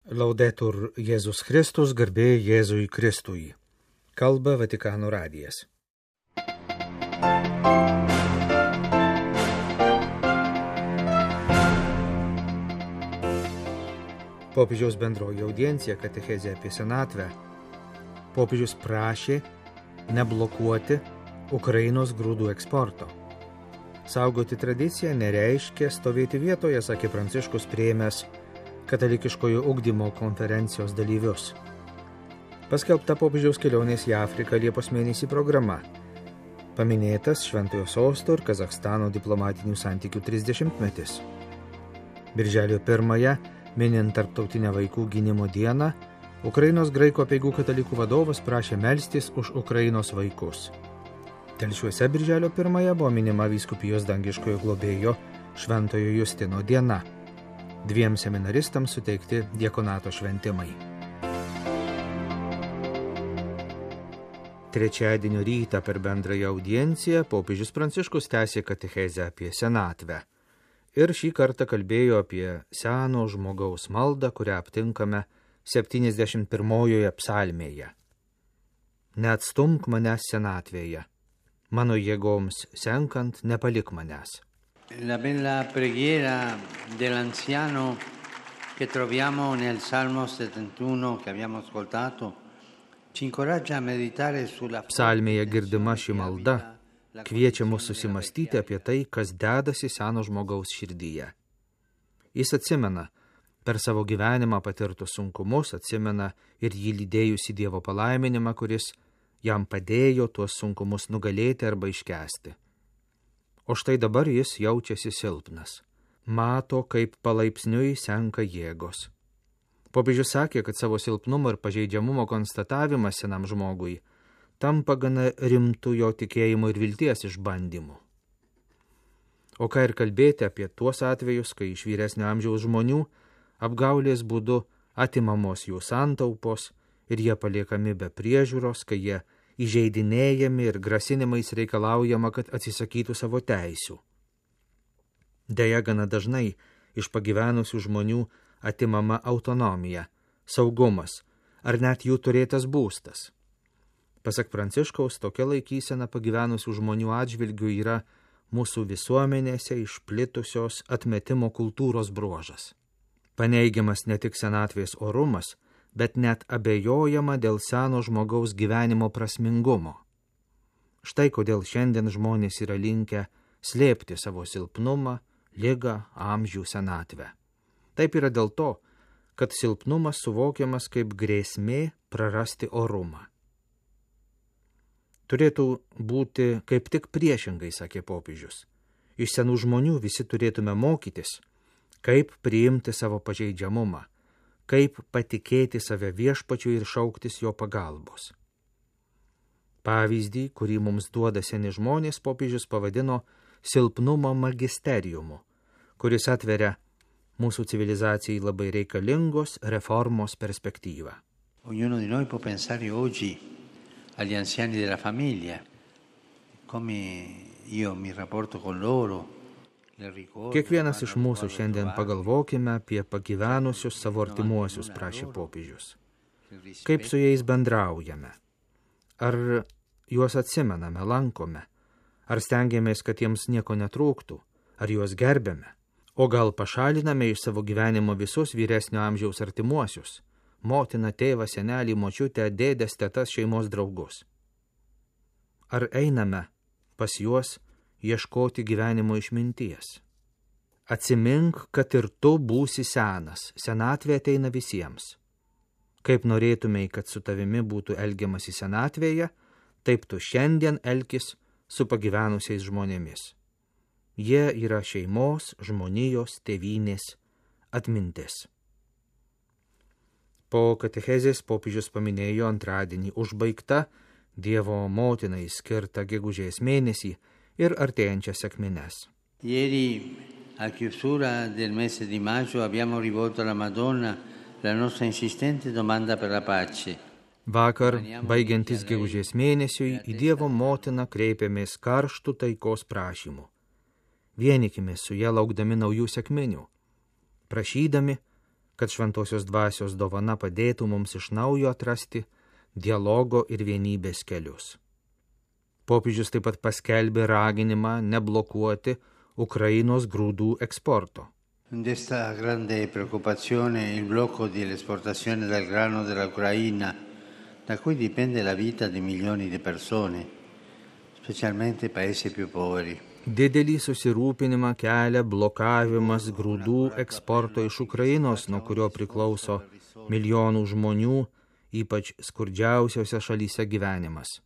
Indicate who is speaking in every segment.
Speaker 1: Laudetur Jėzus Kristus, garbė Jėzui Kristui. Kalba Vatikano radijas. Popiežiaus bendroji audiencija katechezė apie senatvę. Popiežius prašė neblokuoti Ukrainos grūdų eksporto. Saugoti tradiciją nereiškia stovėti vietoje, sakė Pranciškus priėmęs katalikiškojo ugdymo konferencijos dalyvius. Paskelbta popiežiaus kelionės į Afriką Liepos mėnesį programa. Paminėtas Šventojo Sosto ir Kazachstano diplomatinių santykių 30-metis. Birželio 1, minint Tarptautinę vaikų gynimo dieną, Ukrainos graikų apeigų katalikų vadovas prašė melstis už Ukrainos vaikus. Telšiuose birželio 1 buvo minima vyskupijos dangiškojo globėjo Šventojo Justino diena. 2 seminaristams suteikti diakonato šventimai. Trečiadienio rytą per bendrąją audienciją popiežius Pranciškus tęsė katechezę apie senatvę. Ir šį kartą kalbėjo apie seno žmogaus maldą, kurią aptinkame 71 psalmėje. Neatstumk manęs senatvėje, mano jėgoms senkant nepalik manęs.
Speaker 2: La bella preghiera dell'anziano che troviamo nel Salmo 71 che abbiamo ascoltato ci incoraggia a meditare sulla
Speaker 1: Psalmėje girdima ši malda kviečia mus susimastyti apie tai, kas dedasi seno žmogaus širdyje. Jis atsimena per savo gyvenimą patirtus sunkumus, atsimena ir jį lydėjusi Dievo palaiminimą, kuris jam padėjo tuos sunkumus nugalėti arba iškęsti. O štai dabar jis jaučiasi silpnas. Mato, kaip palaipsniui senka jėgos. Popiežius sakė, kad savo silpnumo ir pažeidžiamumo konstatavimas senam žmogui tampa gana rimtų jo tikėjimo ir vilties išbandymų. O ką ir kalbėti apie tuos atvejus, kai iš vyresnio amžiaus žmonių apgaulės būdu atimamos jų santaupos ir jie paliekami be priežiūros, kai jie įžeidinėjami ir grasinimais reikalaujama, kad atsisakytų savo teisių. Deja, gana dažnai iš pagyvenusių žmonių atimama autonomija, saugumas ar net jų turėtas būstas. Pasak Pranciškaus, tokia laikysena pagyvenusių žmonių atžvilgių yra mūsų visuomenėse išplitusios atmetimo kultūros bruožas. Paneigiamas ne tik senatvės orumas, bet net abejojama dėl seno žmogaus gyvenimo prasmingumo. Štai kodėl šiandien žmonės yra linkę slėpti savo silpnumą, ligą, amžių, senatvę. Taip yra dėl to, kad silpnumas suvokiamas kaip grėsmė prarasti orumą. Turėtų būti kaip tik priešingai, sakė popiežius. Iš senų žmonių visi turėtume mokytis, kaip priimti savo pažeidžiamumą, kaip patikėti save viešpačiui ir šauktis jo pagalbos. Pavyzdį, kurį mums duoda seni žmonės, popiežius pavadino silpnumo magisteriumu, kuris atveria mūsų civilizacijai labai reikalingos reformos perspektyvą.
Speaker 2: Ognuno di noi può pensare oggi agli anziani della famiglia, come io mi rapporto con loro.
Speaker 1: Kiekvienas iš mūsų šiandien pagalvokime apie pagyvenusius savo artimuosius, prašė popiežius. Kaip su jais bendraujame? Ar juos atsimename, lankome? Ar stengiamės, kad jiems nieko netrūktų? Ar juos gerbėme? O gal pašaliname iš savo gyvenimo visus vyresnio amžiaus artimuosius? Motina, tėvą, senelį, močiutę, dėdes, tetas, šeimos draugus. Ar einame pas juos ieškoti gyvenimo išminties? Atsimink, kad ir tu būsi senas, senatvė ateina visiems. Kaip norėtumei, kad su tavimi būtų elgiamasi senatvėje, taip tu šiandien elkis su pagyvenusiais žmonėmis. Jie yra šeimos, žmonijos, tėvynės atmintis. Po katechezės popiežius paminėjo antradienį užbaigtą Dievo motinai skirtą gegužės mėnesį ir artėjančias sekmines.
Speaker 2: Ieri, a chiusura del mese di maggio, abbiamo rivolto alla Madonna la nostra insistente domanda per la pace.
Speaker 1: Vakar, baigiantis gegužės mėnesiui, į Dievo motiną kreipėmės karštų taikos prašymų. Vienykimės su ja laukdami naujų sekminių, prašydami, kad šventosios dvasios dovana padėtų mums iš naujo atrasti dialogo ir vienybės kelius. Popiežius taip pat paskelbė raginimą neblokuoti Ukrainos grūdų eksporto.
Speaker 2: Desta grande preoccupazione il blocco dell'esportazione del grano dell'Ucraina, da cui dipende la vita di milioni di persone, specialmente i paesi più poveri.
Speaker 1: Didelį susirūpinimą kelia blokavimas grūdų eksporto iš Ukrainos, nuo kurio priklauso milijonų žmonių, ypač skurdžiausiose šalyse gyvenimas.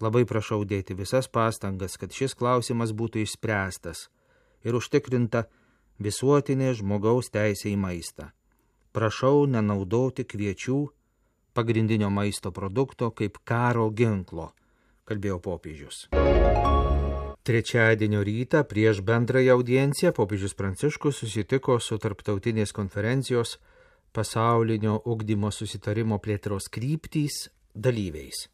Speaker 1: Labai prašau dėti visas pastangas, kad šis klausimas būtų išspręstas ir užtikrinta visuotinė žmogaus teisė į maistą. Prašau nenaudoti kviečių, pagrindinio maisto produkto, kaip karo ginklo, kalbėjo popiežius. Trečiadienio rytą prieš bendrąją audienciją popiežius Pranciškus susitiko su tarptautinės konferencijos pasaulinio ugdymo susitarimo plėtros kryptys dalyviais.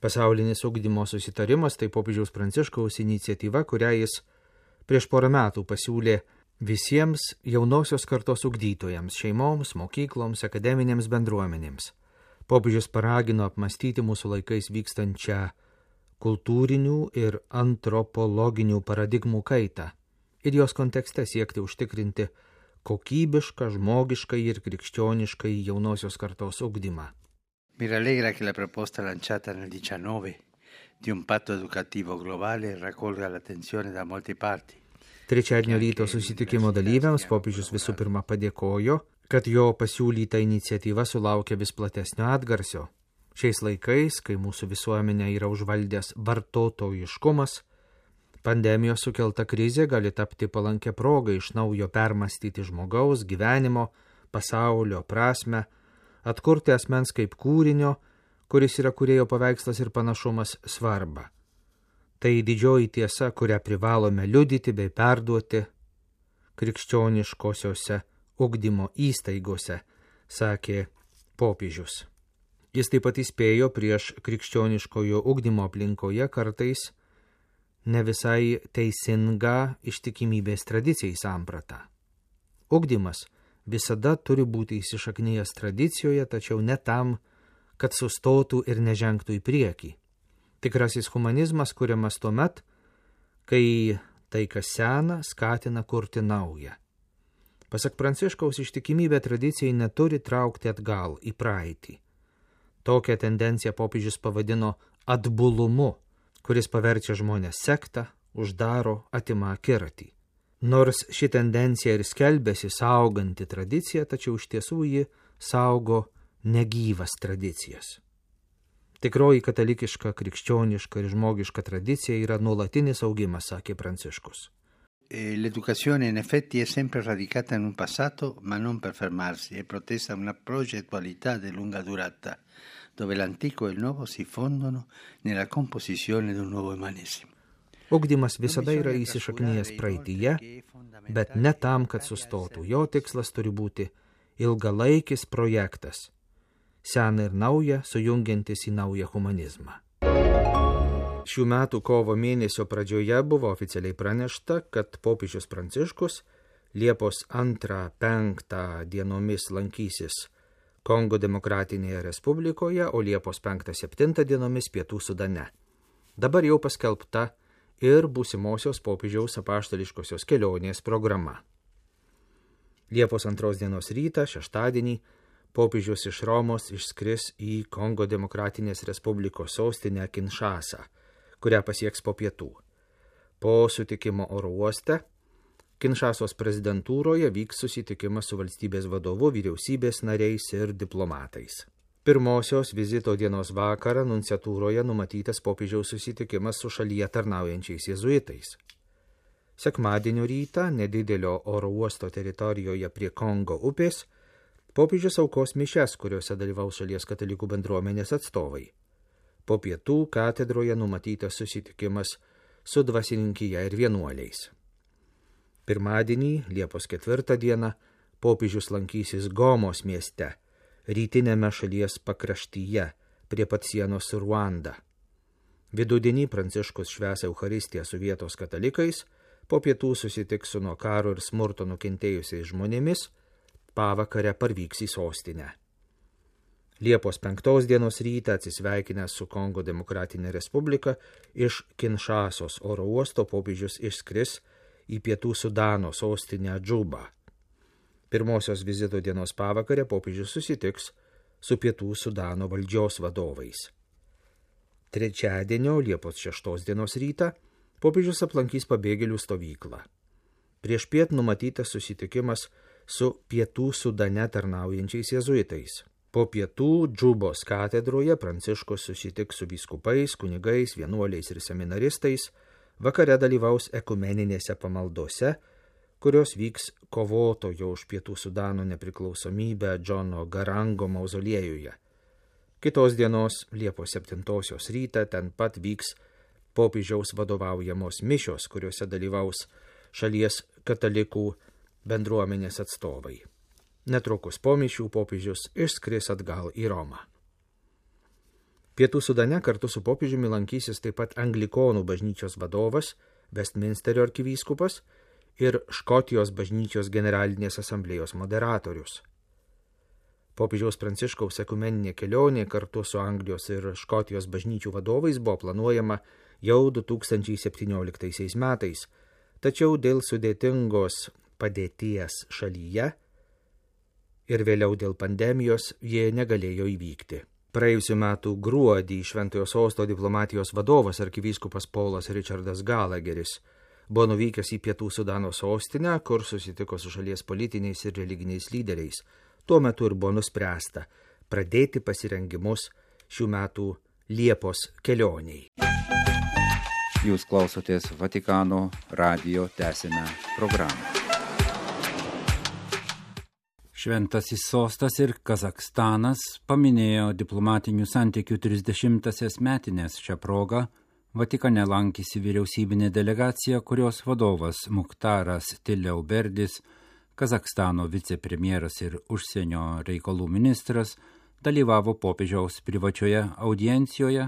Speaker 1: Pasaulinis ugdymo susitarimas tai popiežiaus Pranciškaus iniciatyva, kurią jis prieš porą metų pasiūlė visiems jaunosios kartos ugdytojams, šeimoms, mokykloms, akademinėms bendruomenėms. Popiežius paragino apmastyti mūsų laikais vykstančią kultūrinių ir antropologinių paradigmų kaitą ir jos kontekste siekti užtikrinti kokybišką, žmogišką ir krikščionišką jaunosios kartos ugdymą.
Speaker 2: Mi rallegra che la proposta lanciata nel 19 di un patto educativo globale raccolga l'attenzione da molte parti.
Speaker 1: Trečiadienio ryto susitikimo dalyviams popiežius visų pirma padėkojo, kad jo pasiūlyta iniciatyva sulaukia vis platesnio atgarsio. Šiais laikais, kai mūsų visuomenė yra užvaldęs vartotojiškumas, pandemijos sukelta krizė gali tapti palankę progą iš naujo permastyti žmogaus, gyvenimo, pasaulio prasmę, atkurti asmens kaip kūrinio, kuris yra kūrėjo paveikslas ir panašumas, svarbą. Tai didžioji tiesa, kurią privalome liudyti bei perduoti krikščioniškosiose ugdymo įstaigose, sakė popiežius. Jis taip pat įspėjo prieš krikščioniškojo ugdymo aplinkoje kartais ne visai teisingą ištikimybės tradicijai sampratą. Ugdymas visada turi būti įsišaknijęs tradicijoje, tačiau ne tam, kad sustotų ir nežengtų į priekį. Tikrasis humanizmas kuriamas tuomet, kai tai, kas sena, skatina kurti naują. Pasak Pranciškaus, ištikimybė tradicijai neturi traukti atgal į praeitį. Tokią tendenciją popiežius pavadino atbulumu, kuris paverčia žmonės sektą, uždaro, atima akiratį. Nors ši tendencija ir skelbėsi sauganti tradiciją, tačiau iš tiesų ji saugo negyvas tradicijas. Tikroji katalikiška, krikščioniška ir žmogiška tradicija yra nuolatinis augimas, sakė Pranciškus.
Speaker 2: L'educazione in effetti è sempre radicata in un passato, ma non per fermarsi, è protesa una progettualità di lunga durata, dove l'antico e il nuovo si fondono nella composizione di un nuovo umanesimo.
Speaker 1: Ugdymas visada yra įsišaknijęs praeityje, bet ne tam, kad sustotų. Jo tikslas turi būti ilgalaikis projektas, sena ir nauja, sujungiantis į naują humanizmą. Šių metų kovo mėnesio pradžioje buvo oficialiai pranešta, kad popiežius Pranciškus Liepos 2-5 dienomis lankysis Kongo Demokratinėje Respublikoje, o Liepos 5-7 dienomis Pietų Sudane. Dabar jau paskelbta ir būsimosios popiežiaus apaštališkosios kelionės programa. Liepos 2 dienos rytą, šeštadienį, popiežius iš Romos išskris į Kongo Demokratinės Respublikos sostinę Kinšasą, kurią pasieks po pietų. Po sutikimo oro uoste, Kinšasos prezidentūroje vyks susitikimas su valstybės vadovu, vyriausybės nariais ir diplomatais. Pirmosios vizito dienos vakarą nunciatūroje numatytas popiežiaus susitikimas su šalyje tarnaujančiais jėzuitais. Sekmadienio rytą, nedidelio oro uosto teritorijoje prie Kongo upės, popiežius aukos mišias, kuriuose dalyvaus šalies katalikų bendruomenės atstovai. Po pietų katedroje numatytas susitikimas su dvasininkija ir vienuoliais. Pirmadienį, Liepos 4 dieną, popiežius lankysis Gomos mieste, rytinėme šalies pakraštyje, prie pat sienos su Ruanda. Vidudienį Pranciškus švęs Eucharistiją su vietos katalikais, po pietų susitiks su nuo karo ir smurto nukentėjusiais žmonėmis, pavakarę parvyks į sostinę. Liepos 5 dienos rytą atsisveikinęs su Kongo Demokratinė Respublika iš Kinšasos oro uosto popiežius išskris į Pietų Sudano sostinę Džubą. Pirmosios vizito dienos pavakarę popiežius susitiks su Pietų Sudano valdžios vadovais. Trečiadienio Liepos 6 dienos rytą popiežius aplankys pabėgėlių stovyklą. Priešpiet numatytas susitikimas su Pietų Sudane tarnaujančiais jėzuitais. Po pietų Džubos katedroje Pranciškus susitiks su vyskupais, kunigais, vienuoliais ir seminaristais, vakare dalyvaus ekumeninėse pamaldose, kurios vyks kovotojo už Pietų Sudano nepriklausomybę Džono Garango mauzoliejuje. Kitos dienos, Liepos 7 rytą, ten pat vyks popiežiaus vadovaujamos mišios, kuriuose dalyvaus šalies katalikų bendruomenės atstovai. Netrukus po mišių popiežius išskris atgal į Romą. Pietų Sudane kartu su popiežiumi lankysis taip pat Anglikonų bažnyčios vadovas, Westminsterio arkivyskupas ir Škotijos bažnyčios generalinės asamblėjos moderatorius. Popiežiaus Pranciškaus ekumeninė kelionė kartu su Anglijos ir Škotijos bažnyčių vadovais buvo planuojama jau 2017 metais, tačiau dėl sudėtingos padėties šalyje ir vėliau dėl pandemijos jie negalėjo įvykti. Praėjusiu metu gruodį Šventojo Sosto diplomatijos vadovas arkivyskupas Paulas Richardas Gallagheris buvo nuvykęs į Pietų Sudano sostinę, kur susitiko su šalies politiniais ir religiniais lyderiais. Tuo metu ir buvo nuspręsta pradėti pasirengimus šių metų Liepos kelioniai.
Speaker 3: Jūs klausotės Vatikano radijo tęsiame programą. Šventasis Sostas ir Kazakstanas paminėjo diplomatinių santykių 30-asias metinės. Šią progą Vatikane lankėsi vyriausybinė delegacija, kurios vadovas Mukhtaras Tiliauberdis, Kazakstano vicepremjeras ir užsienio reikalų ministras, dalyvavo popiežiaus privačioje audiencijoje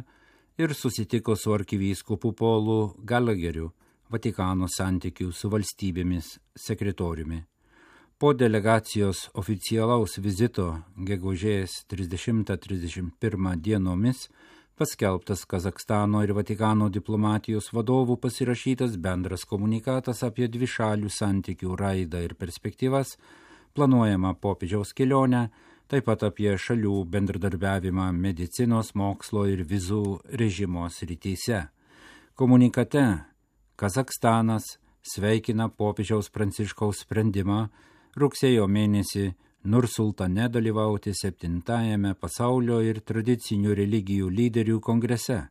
Speaker 3: ir susitiko su arkivyskupu Paulu Gallagheriu, Vatikano santykių su valstybėmis sekretoriumi. Po delegacijos oficialaus vizito gegužės 30-31 dienomis paskelbtas Kazakstano ir Vatikano diplomatijos vadovų pasirašytas bendras komunikatas apie dvišalių santykių raidą ir perspektyvas, planuojamą popiežiaus kelionę, taip pat apie šalių bendradarbiavimą medicinos, mokslo ir vizų režimo srityse. Komunikate Kazakstanas sveikina popiežiaus Pranciškaus sprendimą rugsėjo mėnesį Nursultane dalyvauti 7-ajame pasaulio ir tradicinių religijų lyderių kongrese.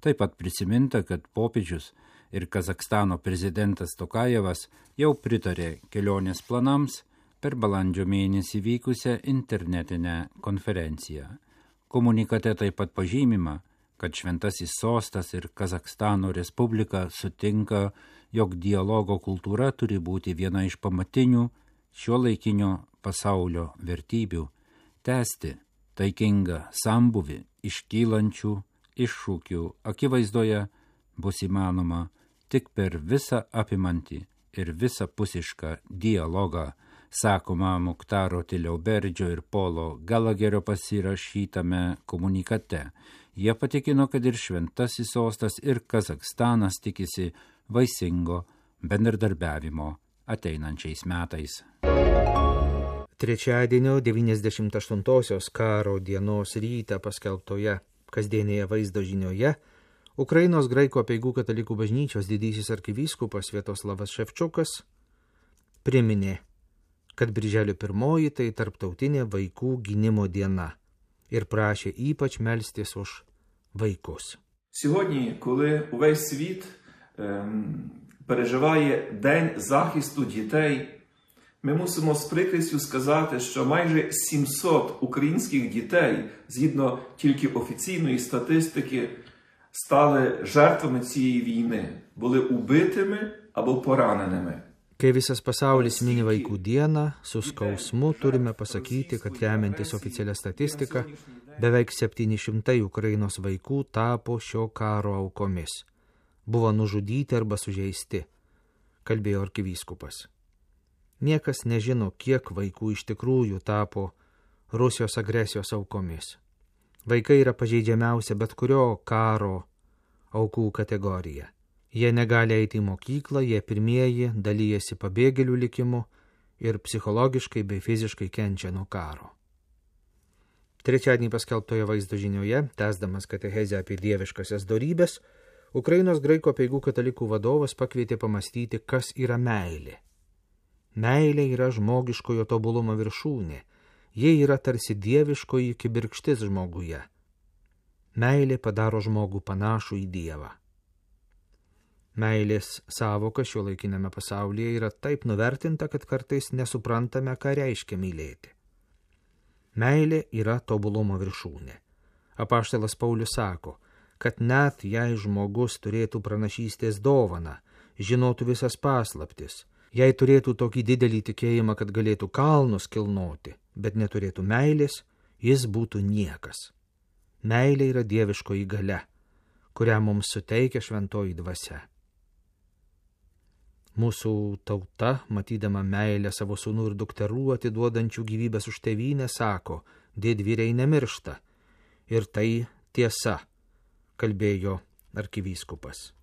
Speaker 3: Taip pat prisiminta, kad popiežius ir Kazakstano prezidentas Tokajevas jau pritarė kelionės planams per balandžio mėnesį vykusią internetinę konferenciją. Komunikate taip pat pažymima, kad Šventasis Sostas ir Kazakstano Respublika sutinka, jog dialogo kultūra turi būti viena iš pamatinių šiuolaikinio pasaulio vertybių, tęsti taikingą sambuvį iškylančių iššūkių akivaizdoje bus įmanoma tik per visą apimantį ir visapusišką dialogą, sakoma Mukhtaro Tiliauberdžio ir Paulo Gallagherio pasirašytame komunikate. Jie patikino, kad ir Šventasis Sostas ir Kazakstanas tikisi vaisingo bendradarbiavimo ateinančiais metais.
Speaker 1: Trečiadienio 98-osios karo dienos rytą paskelbtoje kasdienėje vaizdo žinioje Ukrainos graikų apeigų katalikų bažnyčios didysis arkivyskupas Sviatoslavas Ševčiukas priminė, kad birželio 1 tai tarptautinė vaikų gynimo diena ir prašė ypač melstis už vaikus.
Speaker 4: Сьогодні, коли увесь світ переживає День захисту дітей, ми мусимо з прикрістю сказати, що майже 700 українських дітей, згідно тільки офіційної статистики, стали жертвами цієї війни, були убитими або пораненими.
Speaker 1: Kai visas pasaulis mini vaikų dieną, su skausmu turime pasakyti, kad remiantis oficialią statistiką, beveik 700 Ukrainos vaikų tapo šio karo aukomis. Buvo nužudyti arba sužeisti, kalbėjo arkivyskupas. Niekas nežino, kiek vaikų iš tikrųjų tapo Rusijos agresijos aukomis. Vaikai yra pažeidžiamiausia bet kurio karo aukų kategorija. Jie negali eiti į mokyklą, jie pirmieji dalyjasi pabėgėlių likimu ir psichologiškai bei fiziškai kenčia nuo karo. Trečiadienį paskelbtoje vaizdo žinioje, tęsdamas katechezę apie dieviškasias dorybes, Ukrainos graikų apeigų katalikų vadovas pakvietė pamastyti, kas yra meilė. Meilė yra žmogiškojo tobulumo viršūnė, jie yra tarsi dieviškoji kibirkštis žmoguje. Meilė padaro žmogų panašų į Dievą. Meilės savoka šiuolaikinėme pasaulyje yra taip nuvertinta, kad kartais nesuprantame, ką reiškia mylėti. Meilė yra tobulumo viršūnė. Apaštalas Paulius sako, kad net jei žmogus turėtų pranašystės dovaną, žinotų visas paslaptis, jei turėtų tokį didelį tikėjimą, kad galėtų kalnus kilnoti, bet neturėtų meilės, jis būtų niekas. Meilė yra dieviškoji galia, kurią mums suteikia šventoji dvasia. Mūsų tauta, matydama meilę savo sūnų ir dukterų atiduodančių gyvybės už tėvynę, sako, didvyriai nemiršta. Ir tai tiesa, kalbėjo arkivyskupas.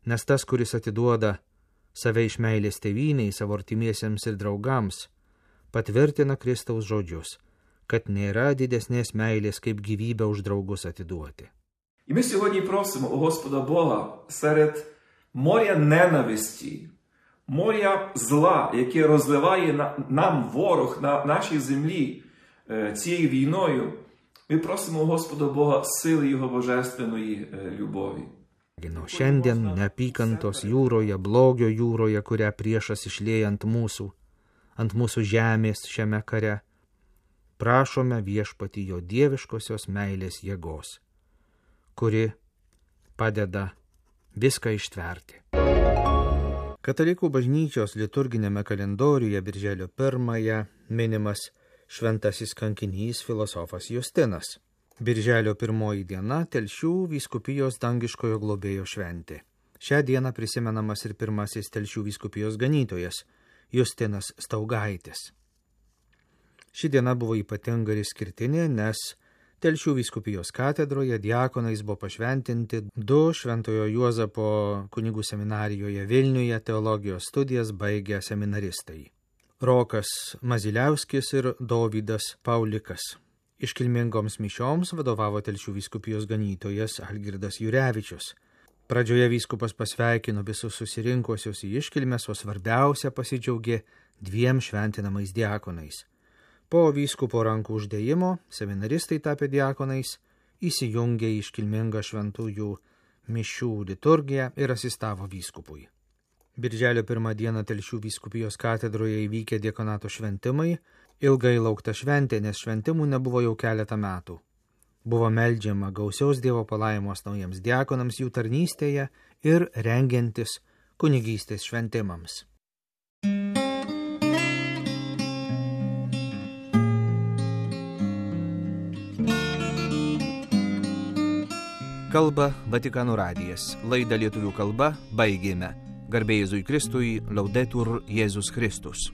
Speaker 1: Nes tas, kuris atiduoda save iš meilės tėvynei, savo artimiesiems ir draugams, patvirtina Kristaus žodžius, kad nėra didesnės meilės, kaip gyvybę už draugus atiduoti.
Speaker 4: І ми сьогодні просимо у Господа Бога серед моря ненависті, моря зла, яке розливає нам ворог на нашій землі цією війною, ми просимо у Господа Бога сили Його божественної любові.
Speaker 1: Šiandien neapykantos jūroje, blogio jūroje, kurią priešas išlieja ant mūsų žemės šiame kare, prašome viešpatį jo dieviškosios meilės jėgos, kuri padeda viską ištverti. Katalikų bažnyčios liturginėme kalendoriuje birželio 1 minimas šventasis kankinys filosofas Justinas. Birželio 1 diena Telšių vyskupijos dangiškojo globėjo šventė. Šią dieną prisimenamas ir pirmasis Telšių vyskupijos ganytojas Justinas Staugaitis. Ši diena buvo ypatinga ir išskirtinė, nes Telšių vyskupijos katedroje diakonais buvo pašventinti 2 Šventojo Juozapo kunigų seminarijoje Vilniuje teologijos studijas baigę seminaristai. Rokas Maziliauskis ir Dovydas Paulikas. Iškilmingoms mišioms vadovavo Telšių vyskupijos ganytojas Algirdas Jurevičius. Pradžioje vyskupas pasveikino visus susirinkusius į iškilmes, o svarbiausia pasidžiaugė 2 šventinamais diakonais. Po vyskupo rankų uždėjimo seminaristai tapę diakonais įsijungė į iškilmingą šventųjų mišių liturgiją ir asistavo vyskupui. Birželio 1 dieną Telšių vyskupijos katedroje įvykę diakonato šventimai, ilgai laukta šventė, nes šventimų nebuvo jau keletą metų. Buvo meldžiama gausiaus Dievo palaimos naujiems diakonams jų tarnystėje ir rengiantis kunigystės šventimams. Kalba Vatikano radijas. Laidą lietuvių kalba baigėme. Garbė Jėzui Kristui, Laudetur Jėzus Kristus.